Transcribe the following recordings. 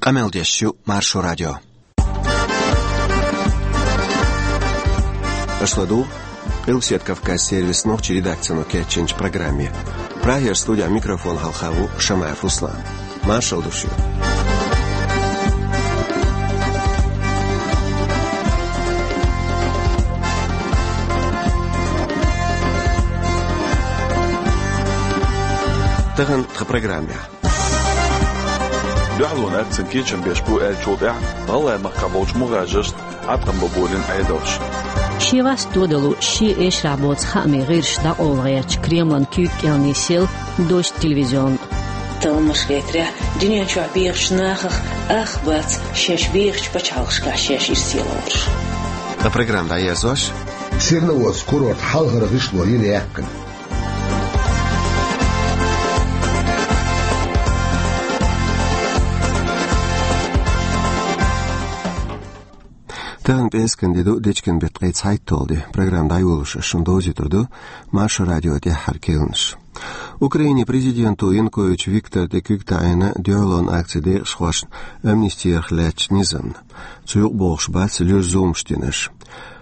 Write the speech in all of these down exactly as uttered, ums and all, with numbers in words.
Къамел деш ю Маршо радио. Аша ладугӀу Къилбаседа Кавказ сервисан нохчийн редакцино кечйинчу программе. Прагера студехь микрофон хьалха ву Шамаев Руслан. Маршалла ду шуьга. Тахана тхан программехь. Дуьхьалонан акцина кечам беш бу аьллачул тӀаьхьа ГӀалгӀай махкахь болчу мухӀажаршна Ӏаткъам бан болийна Ӏедалш. Шен васт тодало, шен эшарахь боцу хаамийн гӀирсаш дӀакъовла гӀертачу Кремлан куьйга кӀел нисъелла дождь телевизион. Талламаш гайтарехь, дуьнен чохь бехачу нахах ах бац шаьш бехачу пачхьалкхашкахь шаьш ирсе лоруш. Ткъа программа дӀаерзош, Серноводск курорт хьалхара гӀишло йина яьккхина. Тахана пӀераскан де ду, дечкен беттан ткъе цхьайтталгӀа де. Программа дӀайолош ас шуна довзуьйтур ду Маршо радион тӀаьххьара кхаьънаш. Украинин президенто Янукович Виктора тӀе куьг таӀийна дуьхьалонан акцин декъашхошна амнисти ярх лаьцначу низамна. Цу юкъа богӀуш бац луьра зуламаш динарш.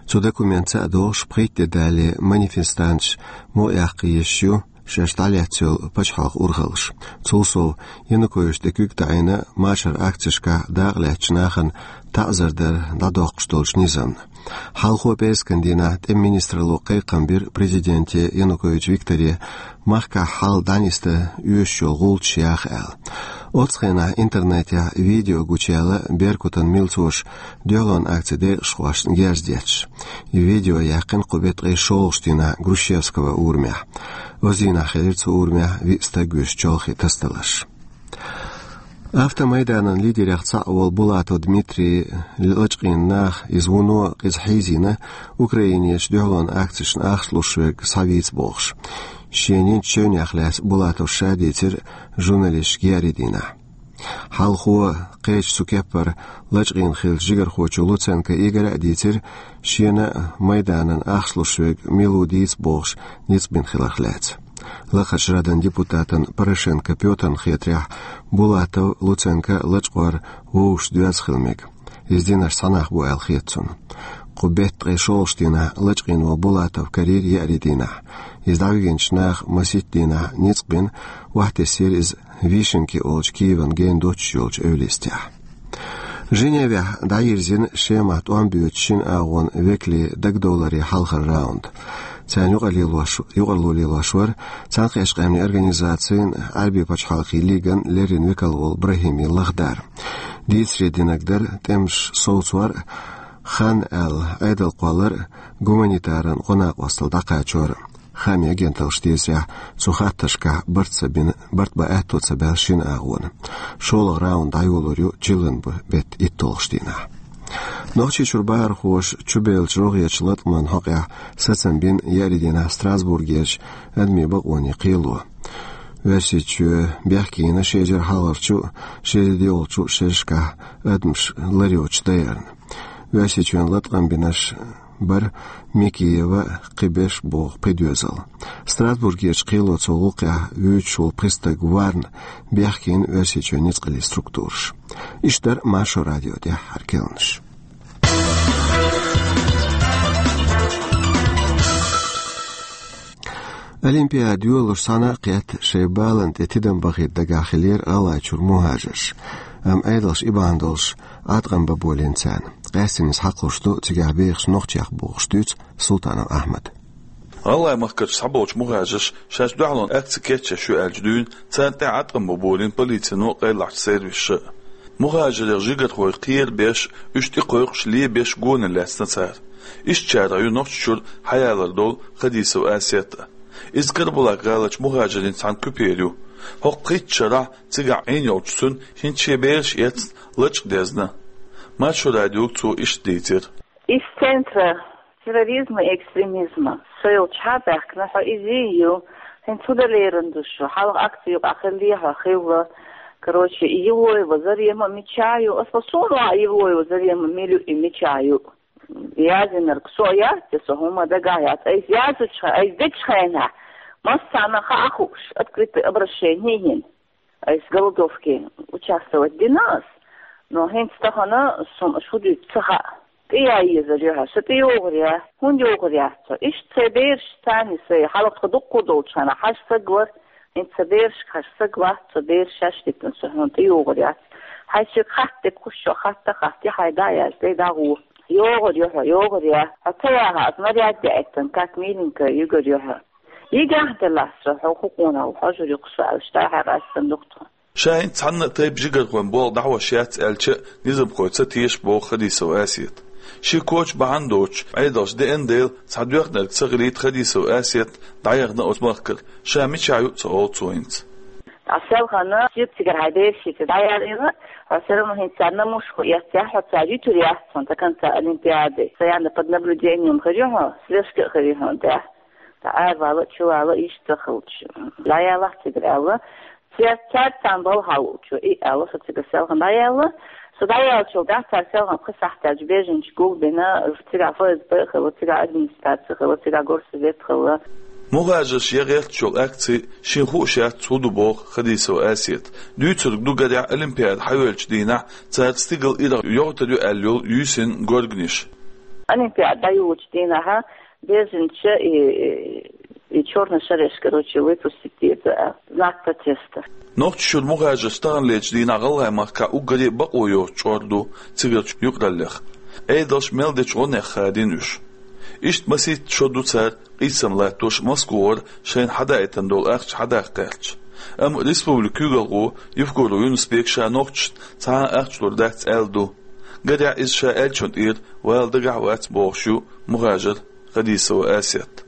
Цу документаца а догӀуш, пхийтта де далале манифестанташ мукъаяккха езаш ю шаьш дӀалаьцна йолу пачхьалкхан урхаллаш. Цул сов, Януковича тӀе куьг таӀийна машаран акцешкахь дакъалаьцначу нахана таӀзар дар дӀадоккхуш долчу низамна. Хьалхо пӀераскан дийнахь тӀеман министралло кхайкхам бира президенте Янукович Викторе, махкахь хьал дӀанисдан оьшуш йолу гӀулчаш яха аьлла. Оццу хенахь интернетехь видео гучуяьлла Беркутан милцоша дуьхьалонан акцин декъашхошна герз детташ. И видео яьккхина кху беттан ткъе шолгӀачу дийнахь Грушевского урамехь. Оцу дийнахь хилира цу урамехь виъ стаг вуьйш чолхе тасадаларш. Автомайданан лидерех цхьаъ волу Булатов Дмитрий лачкъийна наха, иза вуно къиза хьийзийна, Украинерчу дуьхьалонан акцешна ахча луш верг схьавийца бохуш. Шена йинчу чевнех лаьцна Булатов ша дийцира журналисташка еарин дийнахь. Хьалхо кхечу цу кеппара лачкъийна хиллачу жигархочо Луценко Игора а дийцира, шена а Майданан ахча луш верг мила ву дийца бохуш ницкъ бина хиларх лаьцна. Лахарчу Радан депутатана Порошенко Пётрна хетарехь, Булатов, Луценко лачкъор вовшашца доьзна хила мега. Иза динарш цхьа нах бу аьлла хета цунна. Кху беттан ткъе шолгӀачу дийнахь лачкъийна волу Булатов карийра еарин дийнахь. Иза дӀавигначу наха масийтта дийнахь ницкъ бина, охьатесира иза Вишенки олучу Киеван гена доццуш йолчу эвла йистехь. Женевехь дӀайирзина Шемахь тӀом боьдучу шина агӀонан векалийн дагадовларан хьалхара раунд. Царна юкъарло лелош, юкъарло лелош вара Цхьаьнакхеттачу Къаьмнийн Организацин, Ӏаьрбийн пачхьалкхийн лиган леррина векал волу Брахими Лахдар. Дийцаре динарг дара тӀемаш совцор а, хан аьлла Ӏедал кхоллар а, гуманитаран гӀо-накъосталла дӀакхачор а. Хаамийн агенталлаш дийцарехь, цу хаттаршкахь барт ца бина, барт бан аьтто ца баьлла шина агӀона. ШолгӀа раунд дӀайолор ю чиллан бу беттан итталгӀачу дийнахь. Нохчийчуьра бахархоша чубеллачу рогӀерчу латкъаман хьокъехь сацам бина еарин дийнахь Страсбургерчу адамийн бакъонийн кхело. Оьрсийчоь бехке йина ши эзар хьалхарчу, ши эзар доьалгӀачу шерашкахь адамаш лар йоцуш дайарна. Оьрсийчоьнан латкъам бинарш бара Микиева, кхин берш боху пхи доьзал. Страсбургерчу кхело цу гӀуллакхехь вуьйцуш волу пхи стаг варна, бехке йина Оьрсийчоьнан ницкъаллин структураш. Иштта дара Маршо радион тӀаьххьара кхаьънаш. Олимпиада йолош цхьана а кхетта, шайн баланна тӀе тидам бахийта дагахь хиллера ГӀалгӀайчуьра мухӀажарш. Амма Ӏедалша и бахьана долуш Ӏаткъам бан болийна царна. Къаьсттина иза хьакхалуш ду цигахь бехачу нохчех, бохуш дуьйцу Султанов Ахьмада. ГӀалгӀай махкарчу схьаболчу мухӀажарша шаьш дуьхьалонан акци кечъеш ю аьлча дуьйна, царна тӀе Ӏаткъам бан болийна полицино а, къайлахчу сервисаша а. МухӀажарех жигархой кхера беш, уьш тӀекхойкхуш лебеш гонах лаьцна цара. Иштачарех ю Нохчийчуьра хьаялар долу Хадисова Асет а. Иза Карабулак-гӀаларчу мухӀажарийн цхьана куьпера ю. ХӀокху пхийтта шарахь цигахь Ӏийна йолчу цуьнан хӀинца шен бераш эцна, лачкъа дезна. Маршо радиога цо иштта дийцира. Из центр терроризма и экстремизма. Со йолчохь а баьхкина, хьо иза ю. ХӀинца хӀун дан лерина ду шу? Хьалха акци юкъахь хилла, хьо хилла. Короче, и Евлоева Зарема мичахь ю? Ас ма суна ван Евлоева Зарема мила ю и мичахь ю. Язйинарг со яц, со хӀума дагахь яц. Айса язйинчу хенахь, айса дечу хенахь, массарна хаа хууш, открытое обращение йина. Айса голодовке участвовать дина ас. Но хӀинца тахана суна шу дуьйцу ца хаьа. ТӀе яй езар ю хьо, со тӀе йогӀур я, хӀунда йогӀур яц со? Иштта сайн бераш царна, сайн хьалха тхо дуккха долчу хана хьажа саг вара, хӀинца сан берашка хьажа саг вац, со бераш шаьш диттина, со хьуна тӀе йогӀур яц. Хьайн соьга хатта дерг хӀуш чохь хатта, хатта, хьайн дӀа а яьлча, тӀе дӀагӀо. ЙогӀур ю хьо, йогӀур я. Хьо ца яха, аса наряд яийтина, как миленькая, йигар ю хьо. Йигахь делахь со, хьо хӀу къонах ву, хьожур ю-кх со аьлла, иштта хьаькъаьстина ду-кх тхо. Ша хӀинца цхьанна а тайпа жигархойн болх дӀахьош яц аьлча а, низамхой ца теша, боху Хадисова Асета. Шен коча бахьана доцуш, Ӏедалша деана дела, цхьа доьхнарг ца хилийта Хадисова Асета дӀаяхана оцу махкара, ша мичахь ю а ца олу цо хӀинца. Ткъа селхана шиъ цигара хьайн бераш шиъ ца дӀаяьлла, хьо все равно хӀинца царна мушхо эццехь, хьо цара юьтур яц хьуна, до конца олимпиады. Постоянно под наблюдением хир ю хьо, слежка а хир ю хьуна тӀехь. Ткъа аравала а, чувала а иштта ца хилча, дӀаялахь цигара аьлла. Церца царна балхахь луучо и аьлла, со цигара селхана дӀаяьлла. Со дӀаяьллачул тӀаьхьа цара селхана пхи сахьт даьлча беженцаш гулбина, цигахь ФСБ а хилла, цигахь администраци а хилла, цигахь горсовет а хилла. Мухажарш ян гӀерташ йолу акци шена хууш яц хӀун ду боху Хадисова Асета. Дуьйцург ду, гарехь, олимпиада хьайоьллучу дийнахь цара стигала ирах йогӀуьйтур ю аьлла йолу юьйсина горганаш. Олимпиада дӀайолучу дийнахь беженцаш и, и чёрный шареш, короче, выпустить деза, а, знак протеста. Нохчийчуьра мухажарш таханлерчу дийнахь ГӀалгӀай махкахь уггаре а бакъо йоцу чкъор ду цигарчу юкъараллех. Ӏедалша мел дечу гӀонех хадийна уьш. Иштта масийтта шо ду цара къийсам латтош Москвара шайна хьадаийтина долу ахча хьадаккха гӀерташ. Амма республикан куьйгалхо Евкуров Юнус-Бек ша нохчашна цхьа а ахча лур дац аьлла ду. Гарехь, иза ша аьллачунна тӀера вала дагахь а вац бохуш ю мухажар Хадисова Асет.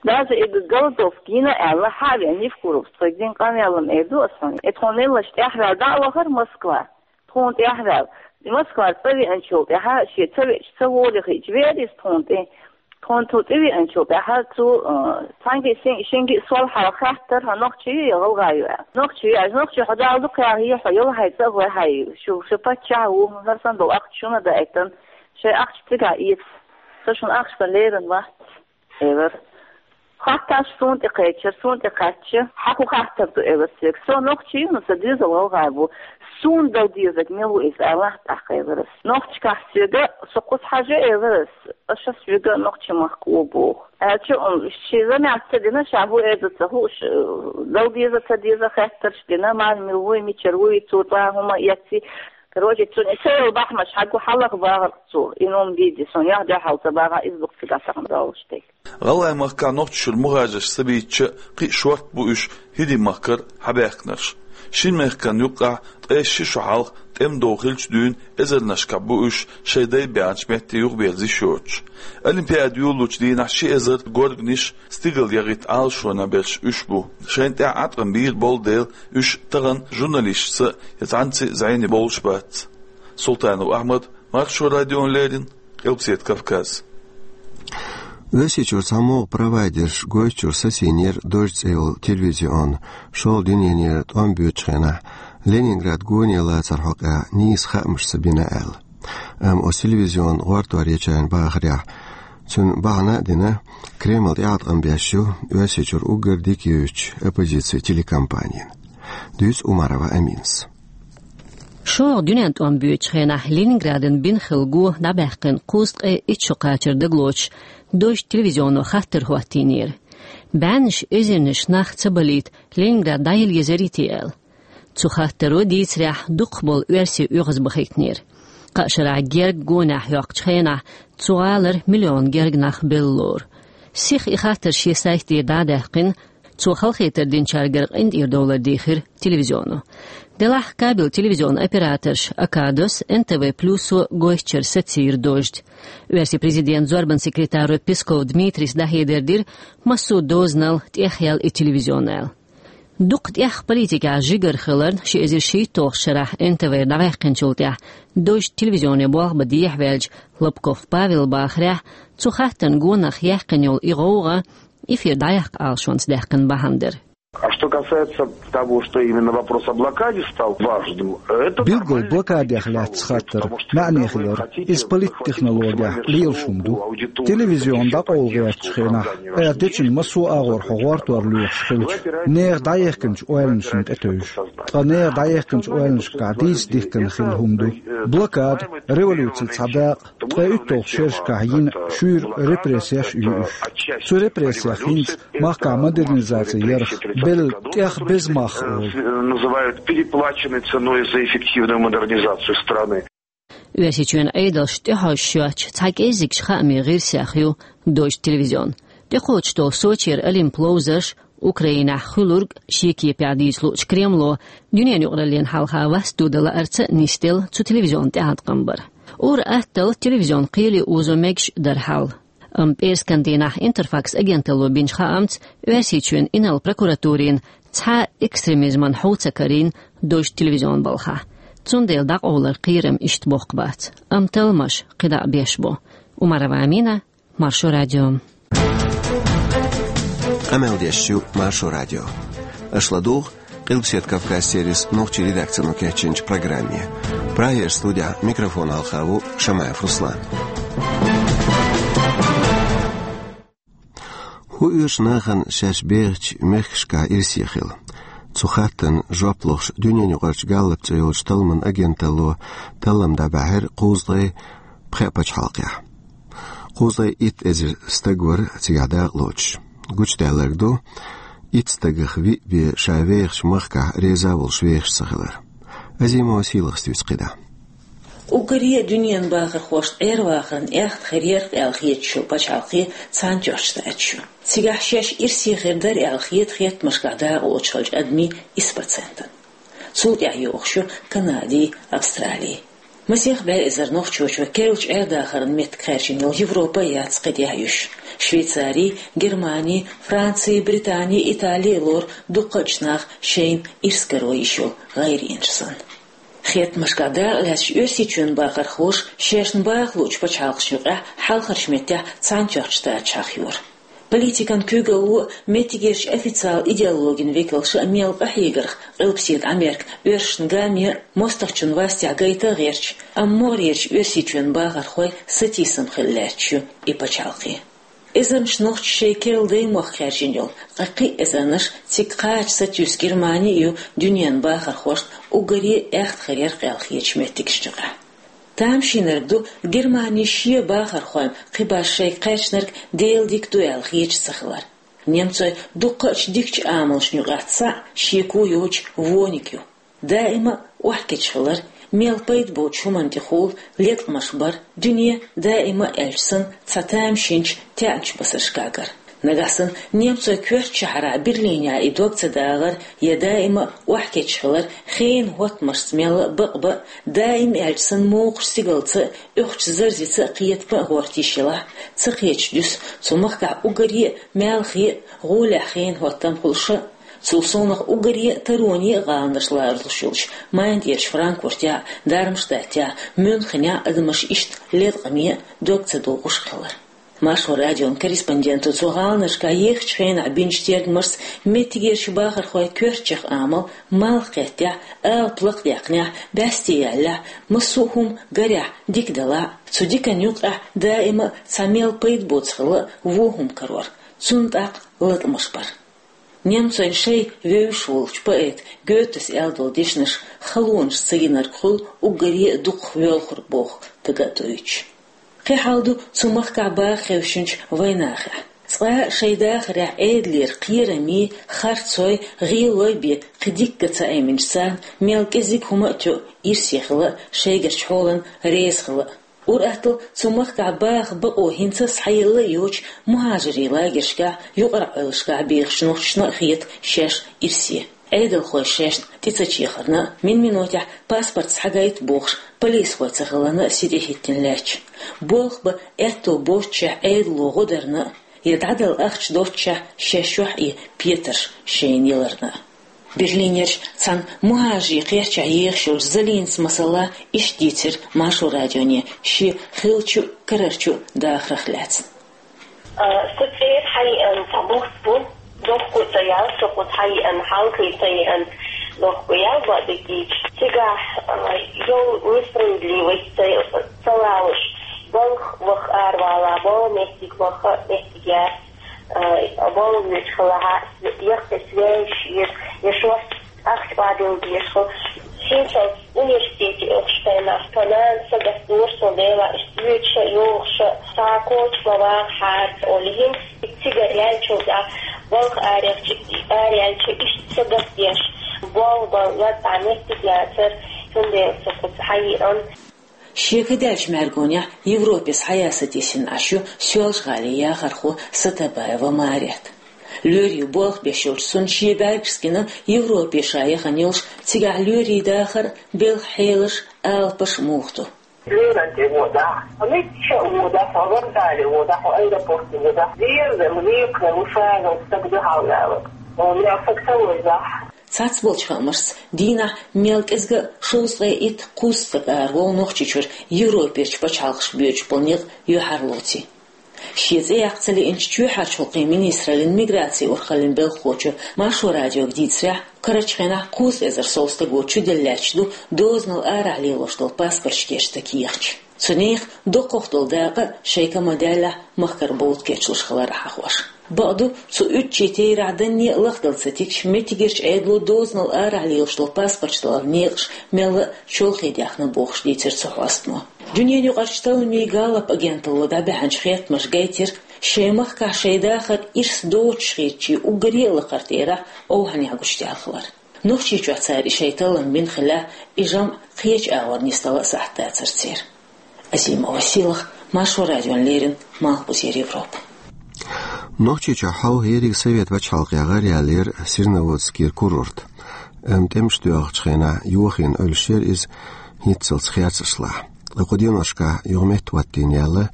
Даже и голодовка йина аьлла, хьа а веана, Евкуровс тхоьга дина къамел-м эр ду аса хьуна. И тхуна меллаша тӀаьхьаваьлла дӀа а вахара Москва. Тхуна тӀаьхьаваьлла. Москвара цӀа веанчул тӀаьхьа, шен ца веача, ца волавелча, веара иза тхуна тӀе. Тхуна цу тӀе веанчул тӀаьхьа цу, а, цхьаьнгге а, шен-, шенга а сол хьалха хаьттара, хьо нохчи ю я гӀалгӀа ю аьлла. Нохчи ю аьлча, нохчи хьо Дала дукха яхьа, хьо йолу хьайн цӀа а гой, хьайн шу, шу паччахь а ву, хӀара санна долу ахча шуна а даийтина, шайн ахча цигахь эца. Со шуна ахча сан лерина вац, элира. Хаттарш суна тӀе кхечира, суна тӀе кхаьчча, хьан хӀун хаттар ду, элира соьга. Со нохчи ю, но сан доьзал гӀалгӀай бу. Суна дала дезарг мила ву иза, алахь тӀаккха, элира ас. Нохчашкахь соьга, со кхуза хьажа, элира ас, аша соьга нохчийн махка ву боху. Аьлча, м, шен замаьхь ца дина, ша хӀун эр ду ца хууш, дала деза, ца деза хаттарш дина, мармил вуй, мичара вуй, цо тӀе хӀума эцций. Короче, цуьнан и ца йолу бахьанаш хьагу хьалха бахара цо, и нум дийди, суна яхь дуьхьал ца бахахь, иза бу-кх цигахь тахана долуш дерг. ГӀалгӀай махкахь Нохчийчуьра мухажарш ца бийцича а, кхин а шортта бу уьш ХӀирийн махкара хьабаьхкинарш. Шина мехкан юккъехь ткъе ши шо хьалха тӀеман дов хиллачу дуьйна эзарнашкахь бу уьш шайн дай баьхначу метте юхаберза йиш йоцуш. Олимпиада йолалучу дийнахь ши эзар горганаш стигала яхийта Ӏалашонехь берш уьш бу. Шайна тӀехь Ӏаткъам бийр болу дела, уьш тахана журналисташца я цхьаьнцций зӀене бовлуш бац. Султанов Ахьмад, Маршо радиона леррина, Къилбаседа Кавказ. Оьрсийчуьра цхьамогӀа провайдерш Гойтачуьра сацийнера «Дождь» цӀе йолу телевизион шолгӀа дуьненара тӀом боьдучу хенахь, Ленинград гоне лацаран хьокъехь нийса хаамаш ца бина аьлла. Амма оцу телевизионан гӀортор ечарна бахарехь, цуьнан бахьана а дина, Кремль тӀеӀаткъам беш ю Оьрсийчуьра уггар дика евзачу оппозицин телекомпанина. Дуьйцу Умарова Аминас. ШолгӀа дуьненан тӀом боьдучу хенахь Ленинградан бина хилла го дӀабаьккхина кхузткъе итт шо кхачар дагалоцуш, «Дождь» телевизионо хаттар хӀоттийнера. БӀеннаш эзарнаш нах ца балийта, Ленинград дӀаяла езарий те аьлла. Цу хаттаро, дийцарехь, дукхахболу оьрсий оьгӀазбахийтинера. Кхаа шарахь герга гонехь хьоькхучу хенахь цу гӀалара миллион герга нах белла лору. Сиха и хаттар шен сайтера дӀа а даьккхина, цо халахетар динчаьргара къинтӀера довлар дийхира телевизионо. Делахь кабелан телевизионан операторша Акадос, НТВ Плюсо Гойтачуьра сацийра «Дождь». Оьрсийн президентан зорбанан секретаро Песков Дмитрийс дӀахьедар дира, массо а дозанал тӀехъяьлла и телевизион аьлла. Дукха тӀех политикехь жигара хиларна, ши эзар шийтталгӀачу шарахь НТВ-ра дӀаваьккхинчул тӀаьхьа «Дождь» телевизионе болх бан дехьаваьллачу Лобков Павела бахарехь, цу хаттарна гонах яьккхина йолу и гӀовгӀа эфир дӀаяккха Ӏалашонца даьккхина бахьана дара. А что касается того, что именно вопрос о блокаде стал важным, это... Билггала, блокадех лаьцна хаттар маьӀне хилар, иза политтехнологех лелаш хӀума ду. Телевизион дӀакъовла гӀертачу хенахь, эр дечун массо а агӀор хьо гӀортор лоьхуш хилча, нехан дӀаехкинчу ойланашна тӀетевжаш. Ткъа нехан дӀаехкинчу ойланашкахь дийца дихкина хилла хӀума ду. Блокада, революцин цхьа дакъа, ткъе уьтталгӀачу шерашкахь йина шуьйра репрессеш а ю уьш. Цу репрессех хӀинца махкахь модернизаци ярах белла тӀех беза мах олу. Называют переплаченной ценой за эффективную модернизацию страны. Оьрсийчоьнан Ӏедалша тӀехьожуш йоцчу цхьа кӀеззигчу хаамийн гӀирсех ю дождь телевизион. ТӀекхочуш долу Сочера Олимп ловзарш, Украинехь хуьлург шен кепехь дийца луучу Кремло дуьненан юкъараллина хьалха васт дуда лаарца а нисделла цу телевизионан тӀеӀаткъам бар. Ур-атталла телевизион кхеле озо мегаш дара хьал. Амма пӀераскан дийнахь Интерфакс агенталло бинчу хаамца, Оьрсийчоьнан инарла прокуратурина цхьа а экстремизмана хьу ца карийна дождь телевизион балхахь. Цундела дӀакъовлар кхерам иштта боккха бац. Амма талламаш кхидӀа а беш бу. Умарова Амина, Маршо радио. Къамел деш ю Маршо радио. Аша ладугӀу Къилбаседа Кавказ сервисан нохчийн редакцино кечйинчу программе. Прагера студехь микрофон хьалха ву Шамаев Руслан. ХӀун оьшу нахана шаьш бехачу мехкашкахь ирсе хила? Цу хаттарна жоп лохуш, дуьненаюкъарчу Галлап цӀе йолчу талламан агенталло таллам дӀабаьхьира кхузткъе пхеа пачхьалкхехь. Кхузткъе итт эзар стаг вара цигахь дакъалоцуш. Гучудаьлларг ду, итт стагах виъ бен ша вехачу махкахь реза а волуш вехаш ца хилар. Азимова Сийлахас дуьйцу кхидӀа. Уггаре а дуьненан бахархошна Ӏер-вахарна аьхна хир яра аьлла хеташ йолу пачхьалкхе Цхьаьнатоьхначу Штаташ ю. Цигахь шаьш ирсе хир дара аьлла хета хеттамашкахь дакъалоцуш хиллачу адамийн исс процентана. Цул тӀаьхьа йогӀуш ю Канади, Австрали. Масех бӀе эзар нохчочо керлачу Ӏер-дахаран меттиг хаьржина йолу Европа а яц кхидӀа а юьсуш. Швейцари, Германи, Франци, Британи, Итали а лору дуккхачу наха шайна ирс каро йиш йолу гӀайренаш санна. Хеттамашкахь дакъалаьцначу Оьрсийчоьнан бахархоша шаьшна баха луучу пачхьалкхашна юкъахь хьалхарчу меттехь Цхьаьнатоьхначу Штаташ хьахайора. Политикан куьйгалло а, меттигерчу официалан идеологин векалша а мел къахьегарх Къилбаседа Америка оьрсашна гамме а, мостагӀчун вастехь гайта а гӀерташ, амма могӀарерчу Оьрсийчоьнан бахархойн сатийсам хилла лаьтташ ю и пачхьалкхе. Эзарнаш нохчаша шайн керла даймохк хаьржина йолу, ткъа кхин а эзарнаш цига кхача сатуьйсу Германи а ю дуьненан бахархошна уггаре а аьхна хир яра аьлла хетачу меттигашна юкъахь. Тамашийнарг ду Германи шен бахархойн кхин башха шайга кхаьчнарг Делан дика ду аьлла хеташ ца хилар. Немцойн дуккхачу дикачу амалшна юкъахь цхьаъ шеко йоцуш вониг ю. Даима а охьакечхилар, мел пайда боцучу хӀуманна тӀехула леткъамаш бар, дуьне даима а аьлча санна цхьа тамашийначу, таьӀначу басаршкахь гар. Нагахь санна немцойн коьртачу шахьарахь Берлинехь и дог ца дагӀар я даима а охьакечхилар, хенан хӀоттамашца мелла а бакъ бан, даим аьлча санна мокхачу стигалца а, оьхучу зарзица а кхетам бан а гӀорта йиш елахь, ца кхеташ дуьсу цу махкахь уггаре а маьлхе а, гӀолехь хенан хӀоттам хуьлуш а. Цул совнах уггаре а тароне а гӀаланаш ларалуш йолчу Майнцерчу Франкфуртехь а, Дармштадтехь а, Мюнхенехь а адамаш иштта леткъаме а, дог ца догӀуш а хилар. Маршо радион корреспонденто цу гӀаланашкахь ехачу хенахь бинчу тергамашца меттигерчу бахархойн коьртачех амал малх кхеттехь, алапа лакхадаьккхинехь, бӀаьсте яьллехь, массо а хӀума гарехь, дика делахь а, цу диканна юкъахь даима а цхьа мел пайда боцу хилла а вон хӀума карор, цунна тӀаккха латкъамаш бар. Немцойн шайн вевзаш волчу поэта Гётес аьлла долу дешнаш халонаш ца йинарг хуьлу уггаре а дукхах воьлхург боху дага а дойтуш. Кхин хьал ду цу махкахь баха хевшинчу вайнахехь. Цкъа а шайн дахарехь Ӏедалера кхерамий, харцой, гӀелой бен кхин дика ца Ӏеминчу царна мел кӀезиг хӀума а тоьу, ирсе хила а, шайгарчу хьолана реза хила а. Ур-атталла цу махкахь баха бакъо хӀинца а схьаелла а йоцуш, мухӀажирийн лагершкахь, юкъараллашкахь бехачу нохчашна а хета шаьш ирсе. Ӏедалхой шайшна тӀе ца чехарна а, мин-минотехь паспорт схьагайта бохуш, полисхой ца хиларна а сий тӀехӀиттина лаьтташ. Болх бан аьтто боццушехь Ӏедало гӀо дарна а, я дӀадала ахча доццушехь шаьш чохь и петарш шайна яларна а. Берлинерчу цхьана мухӀажирийн кхерчахь ехаш йолчу Залинас, масала, иштта дийцира Маршо радионе шен хиллачу а, карарчу а дахарх лаьцна. Со цӀера хьаеана цхьа бутт бу. Дохку ца ял, со кху цхьа йиъан, хьалхе ца йиъан, дохку ял бадагича. Цигахь, а, йол несправедливость ца, ца лалуш, балха ваха аравала, бала меттиг ваха, меттиг яц, а, бала вуьйцу хала хьа, яккхи связь еза, я шорт ахча бадил дешху. Хинчал университете охуш тайнах, тонан сагат дурсо дела, иштта вуьйцуша, йохуша, ца кочма вахар, олигин, цигар ялчул да, балха арехчи, арелчи, иштта сагат деш, бол, бол, я та меттиг яцар, цундела со кху цхьа йиъан. Шеко даьллачу мӀаьргонехь Европе схьаяса тесина Ӏаш ю Соьлжа-ГӀалин яхархо Сатабаева Марет. Лоьрийн болх беш йолчу цунна шен бӀаьргашца гина Европе ша яхана йолуш, цигахь лоьрийн дахар, белхан хьелаш, алапаш муха ду. Леран тӀе водахь, мичча а водахь, вокзале водахь, аэропорте водахь, деза, векхар, ву шазал стаг дуьхьал ваьлла. Мел стаг ца вайзахь. Цхьацца болчу хаамашца, дийнахь мел кӀезга а шовзткъе итт-кхузткъа стаг араволу Нохчийчуьра Европерчу пачхьалкхашка боьдуш болу некъ юьхьарлоций. Шен цӀе яккха ца лиъначу чоьхьарчу гӀуллакхийн министраллин миграцин урхаллин белхахочо Маршо радиога дийцарехь, карарчу хенахь кхузткъа эзар сов стаго чуделла лаьтташ ду дозанал арахь лелош долу паспорташ кечдан кехаташ. Цу нехан доккхах долу дакъа а шайн кама даьллехь, махкара бовда кечлуш хилар а хьахош. Бакъду, цу уьттачийн тейрахь данне а лахдала ца тигча, меттигерчу Ӏедало дозанал арахь лелош долу паспорташ даларан некъаш мелла а чолхе даьхна бохуш дийцира цу хьостано. Дуьненан юкъарчу талламийн Галлап агенталло дӀабаьхьначу хеттамаша гайтира, шайн махкахь шайн дахар ирс доцуш хетачийн уггаре а лакхара тӀерахь овхӀанехь гучудаьлла хилар. Нохчийчохь цара и шайн таллам бина хилахь, и жамӀ кхечу агӀор нисдала а сахьт дацара церан. Азимова Сийлаха, Маршо радиона леррина, Малхбузера Европа. Нохчийчохь хьовха ерриг совет пачхьалкхехь гӀараяьллера Серноводскера курорт. Амма тӀемаш доьлхучу хенахь йохийна Ӏуьллуш яра иза хӀинццалц херцаршлахь. Ткъа кху деношкахь юха меттахӀоттийна яьлла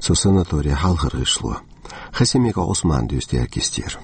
цу санаторин хьалхара гӀишло. Хасимиков Ӏусмана дуьйцу дерг кистера.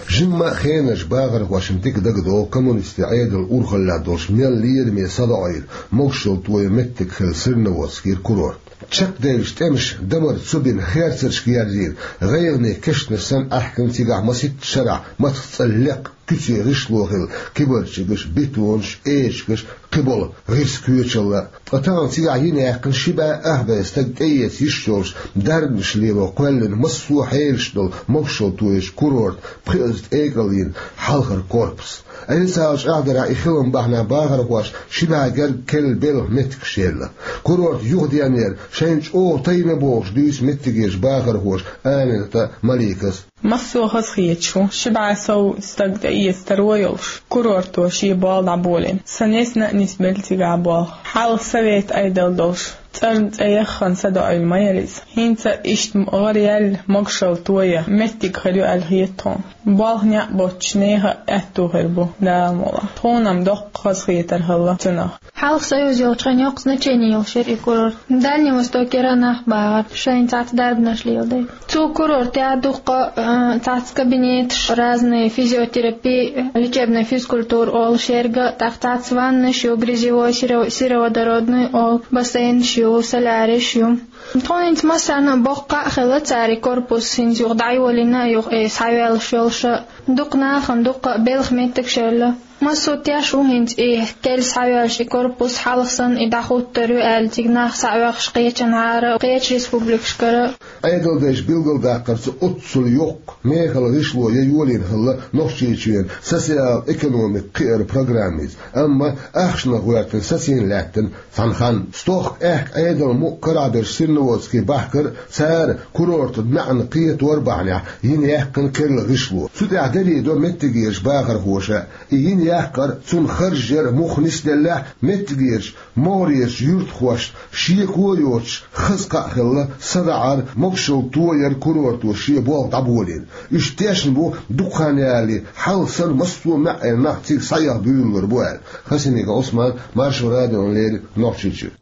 Жимма а хенаш бахархошна дика дагадогӀу коммунистийн Ӏедалан урхаллехь долуш мел лераме садоӀийра могушалла тоян меттиг хилла Серноводскера курорт. Чекхдевллачу тӀемаша дамар цу бина, херцаршка ерзийна, гӀайгӀане кешнаш санна аьхкина цигахь масийтта шарахь мацах цӀа лекха куьце гӀишло хилла, кибарчигаш, бетонаш, эчигаш, кхиболу гӀирс коьчалла. Ткъа тахана цигахь йина яьккхина ши бӀе ах бӀе стаг тӀеэца йиш йолуш, дарбанаш лело кхоьллина массо а хьелаш долу могушалла тоеш курорт, пхиазза тӀекӀалйина хьалхара корпус. Ӏесалчу ахьдарахь и хилам бахьанехь бахархоша ши бӀе гергга керла белхан меттигаш елла. Курорт юхаденнера шайна чӀогӀа тайна бохуш дуьйцу меттигерчу бахархоша Амината Маликас. Массо а хазахеташ ву, ши бӀе сов стаг тӀеэца таро йолуш, курорто шен болх дӀаболийна. Сан несна а нисбелла цигахь болх. Хьалха совет Ӏедал долуш, цӀарна цӀе яххана садоӀийла ма яра иза. ХӀинца иштта гӀараяьлла могушалла тоян меттиг хир ю аьлла хета тхуна. Болх некъ боцчу нехан а аьтту хир бу, Дала мукъалахь. Тхуна-м доккха хазахетар хилла цунах. Хьалха союз йолчу хенахь йоккха значение йолуш яра и курорт. Дальний Востокера нах багӀар, шайна цхьацца дарбанаш леладай. Цу курортехь дуккха, а, цхьацца кабинеташ, разные физиотерапии, лечебная физкультура олуш ерг, тӀаккха цхьацца ваннаш ю, грязевой, серо-, сероводородный олу, бассейнаш ю, соляриш ю. Тхуна хӀинца массарна а боккха а хилла цара и корпус, хӀинца юха дӀайолийна а, юха и схьавеллаш йолуш а, дукха нахана дуккха а белхан меттигаш елла. Массо а теш ву хӀинца и керла схьавоьллуш и корпус, хьалха санна и дӀахӀуттур ю аьлла, цига нах схьаоьхуш кхечанхьара, кхечу республикашкара. Ӏедалдайша билгалдаккхарца, оццул йоккха мехала гӀишло я йолийна хилла Нохчийчоьнан социал-экономика кхиаран программица, амма ахчанах гӀоьртина сацийна лаьттина цхьана ханна. Стохка аьхка Ӏедалан мукъа карахь берш Серноводске бахкар а, цара курортан маьӀна кхетор бахьанехь йина яьккхина керла гӀишло. Цу тӀехь дерриг до меттигерчу бахархоша, и йина яккхар, цунна харж яр муха нисделлехь, меттигерчу могӀарерчу юьртахошна шеко а йоцуш, хаза кхаъ хилла садаӀар, могушалла тояр курорто шен болх дӀаболийна. Уьш тешна бу дукха хан ялале, хьалха санна массо а маьӀӀера нах цига схьаэха буьйлалур бу аьлла. Хасимиков Ӏусман, Маршо радиона леррина, Нохчийчуьра.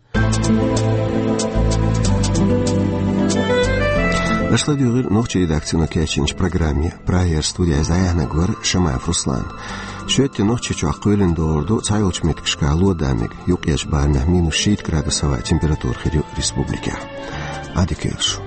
Аша ладуьйгӀира нохчийн редакцино кечйинчу программе. Прагера студехь иза дӀаяьхьнарг вара Шамаев Руслан. Шоьтан Нохчийчохь кхоьлина долур ду цхьайолчу меттигашкахь ло а, мега, юккъерчу барамехь минус шийтта градус хӀаваан температура хир ю республикехь. Ӏадика йойла шу.